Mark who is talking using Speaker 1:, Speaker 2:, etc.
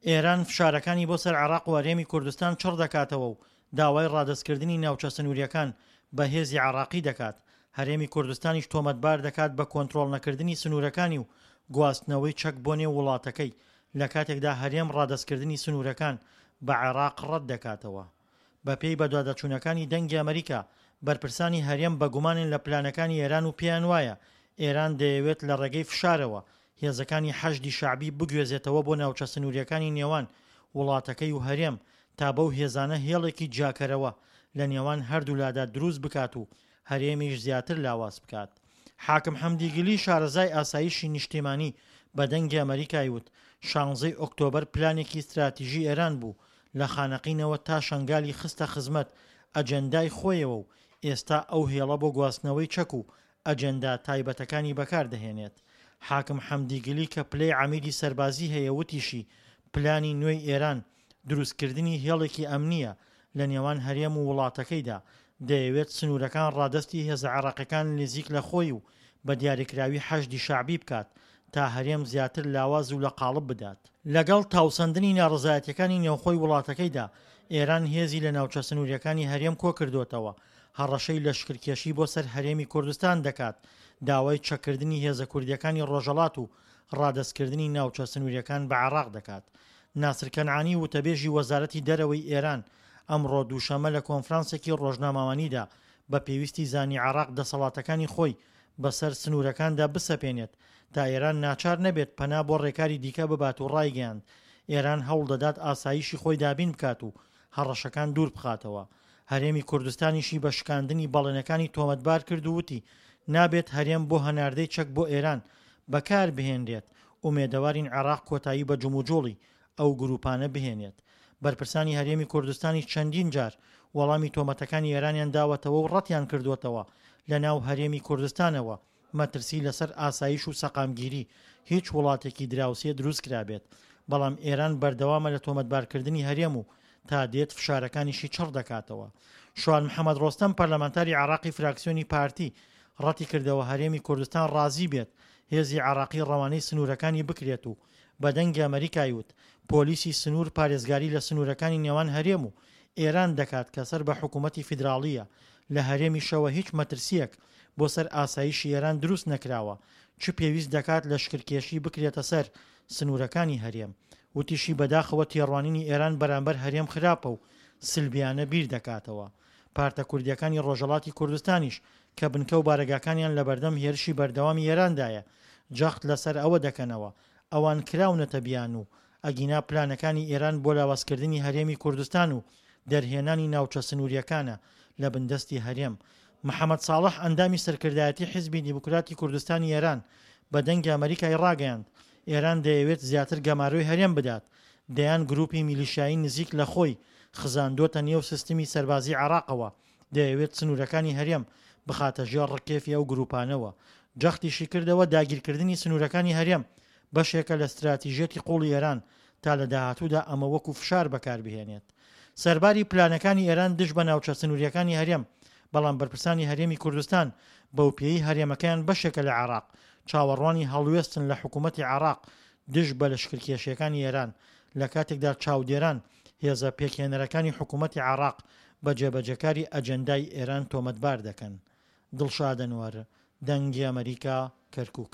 Speaker 1: ئێران فشارەکانی بۆ سەر عێراق و هەرێمی کوردستان چڕ دەکاتەوە و داوای ڕادەستکردنی ناوچە سنوورییەکان بە هێزی عێراقی دەکات، هەرێمی کوردستانیش تۆمەتبار دەکات بە کۆنترۆڵنەکردنی سنوورەکانی و گواستنەوەی چەک بۆ نێو وڵاتەکەی، لەکاتێکدا هەرێم ڕادەستکردنی سنوورەکان بە عێراق ڕەت دەکاتەوە. بەپێی بەدواداچوونەکانی دەنگی ئەمریکا، بەرپرسانی هەرێم بەگومانن لە پلانەکانی ئێران و پێیان وایە ئێران دەیەوێت لە ڕێگەی فشارەوە هێزەکانی حەشدی شەعبی بگوێزێتەوە بۆ ناوچە سنوورییەکانی نێوان وڵاتەکەی و هەرێم تا بەو هێزانە هێڵێکی جیاکەرەوە لە نێوان هەردوولادا دروست بکات و هەرێمیش زیاتر لاواز بکات. حاکم حەمدیگلی شارەزای ئاسایشی نیشتیمانی بە دەنگی ئەمەریکای وت شانزەی ئۆکتۆبەر پلانێکی ستراتیژی ئێران بوو لە خانەقینەوە تا شەنگالی خستە خزمەت ئەجێندای خۆیەوە و ئێستا ئەو هێڵە بۆ گواستنەوەی چەک و ئەجێندا تایبەتەکانی بەکار دەهێنێت. حاکم حەمدیگلی کە پلەی عەمیدی سەربازی هەیە وتیشی پلانی نوێی ئێران دروستکردنی هێڵێکی ئەمنییە لە نێوان هەرێم و وڵاتەکەیدا، دەیەوێت سنوورەکان ڕادەستی هێزە عێراقیەکان نزیک لە خۆی و بە دیاریکراوی حەشدی شەعبی بکات تا هەرێم زیاتر لاواز و لە قاڵب بدات. لەگەڵ تاوسەندنی ناڕەزایەتیەکانی نێوخۆی وڵاتەکەیدا، ئێران هێزی لە ناوچە سنووریەکانی هەرێم کۆکردۆتەوە، هەڕەشەی لەشکرکێشی بۆ سەر هەرێمی کوردستان دەکات، داوای چەککردنی هێزە کوردیەکانی ڕۆژهەڵات و ڕادەستکردنی ناوچە سنووریەکان بە عێراق دەکات. ناسر کەنعانی وتەبێژی وەزارەتی دەرەوەی ئێران ئەمڕۆ دووشەممە لە کۆنفرانسێکی ڕۆژنامەوانیدا بە پێویستی زانی عێراق دەسەڵاتەکانی خۆی بەسەر سنوورەکاندا بسەپێنێت تا ئێران ناچار نەبێت پەنا بۆ ڕێکاری دیکە ببات و ڕایگەیاند ئێران هەوڵدەدات ئاسایشی خۆی دابین بکات و هەڕەشەکان دوور بخاتەوە. هەرێمی کوردستانیشی بە شکاندنی بەڵێنەکانی تۆمەتبار کرد و وتی، نابێت هەرێم بۆ هەناردەی چەک بۆ ئێران بەکار بهێنرێت، ئومێدەوارین عێراق کۆتایی بە جموجوڵی ئەو گروپانە بهێنێت. بەرپرسانی هەرێمی کوردستانیش چەندین جار وەڵامی تۆمەتەکانی ئێرانیان داوەتەوە و ڕەتیان کردووەتەوە لەناو هەرێمی کوردستانەوە مەترسی لەسەر ئاسایش و سەقامگیری هیچ وڵاتێکی دراوسێ دروستکرابێت، بەڵام ئێران بەردەوامە لە تۆمەتبارکردنی هەرێم و تا دێت فشارەکانیشی چڕ دەکاتەوە. شوان محەمەد ڕۆستەم پەرلەمانتاری عێراقی فراکسیۆنی پارتی ڕەتیکردەوە هەرێمی کوردستان ڕازی بێت هێزی عێراقی ڕەوانەی سنوورەکانی بکرێت و بە دەنگی ئەمەریکای وت پۆلیسی سنوور پارێزگاری لە سنوورەکانی نێوان هەرێم و ئێران دەکات کە سەر بە حکوومەتی فیدراڵییە، لە هەرێمیشەوە هیچ مەترسییەک بۆ سەر ئاسایشی ئێران دروست نەکراوە، چ پێویست دەکات لەشکرکێشی بکرێتە سەر سنوورەکانی هەرێم. وتیشی بەداخەوە تێڕوانینی ئێران بەرامبەر هەرێم خراپە و سلبیانە بیر دەکاتەوە. پارتە کوردییەکانی ڕۆژهەڵاتی کوردستانیش کە بنکە و بارەگاکانیان لەبەردەم هێرشی بەردەوامی ئێراندایە، جەخت لەسەر ئەوە دەکەنەوە ئەوان کراونەتە بیانوو، ئەگینا پلانەکانی ئێران بۆ لاوازکردنی هەرێمی کوردستان و دەرهێنانی ناوچە سنوورییەکانە لە بندەستی هەرێم. محەمەد ساڵح ئەندامی سەرکردایەتی حیزبی دیموکراتی کوردستانی ئێران بە دەنگی ئەمەریکای ڕاگەیاند، ئێران دەیەوێت زیاتر گەمارۆی هەرێم بدات، دەیان گروپی میلیشیایی نزیک لە خۆی خزاندۆتە نێو سیستمی سەربازی عێراقەوە، دەیەوێت سنوورەکانی هەرێم بخاتە ژێر ڕکێفی ئەو گروپانەوە. جەختیشی کردەوە داگیرکردنی سنوورەکانی هەرێم بەشێکە لە ستراتیژیەتی قوڵی ئێران تا لە داهاتوودا ئەمە وەکو فشار بەکاربهێنێت سەرباری پلانەکانی ئێران دژ بە ناوچە سنوورییەکانی هەرێم، بەڵام بەرپرسانی هەرێمی کوردستان بەوپێیەی هەرێمەکەیان بەشێکە لە عێراق، چاوەڕوانی هەڵوێستن لە حکوومەتی عێراق دژ بە لەشکرکێشییەکانی ئێران، لە کاتێکدا چاودێران هێزە پێکهێنەرەکانی حکوومەتی عێراق بە جێبەجێکاری ئەجێندای ئێران تۆمەتبار دەکەن. دڵشاد ئەنوەر، دەنگی ئەمەریکا، کەرکووک.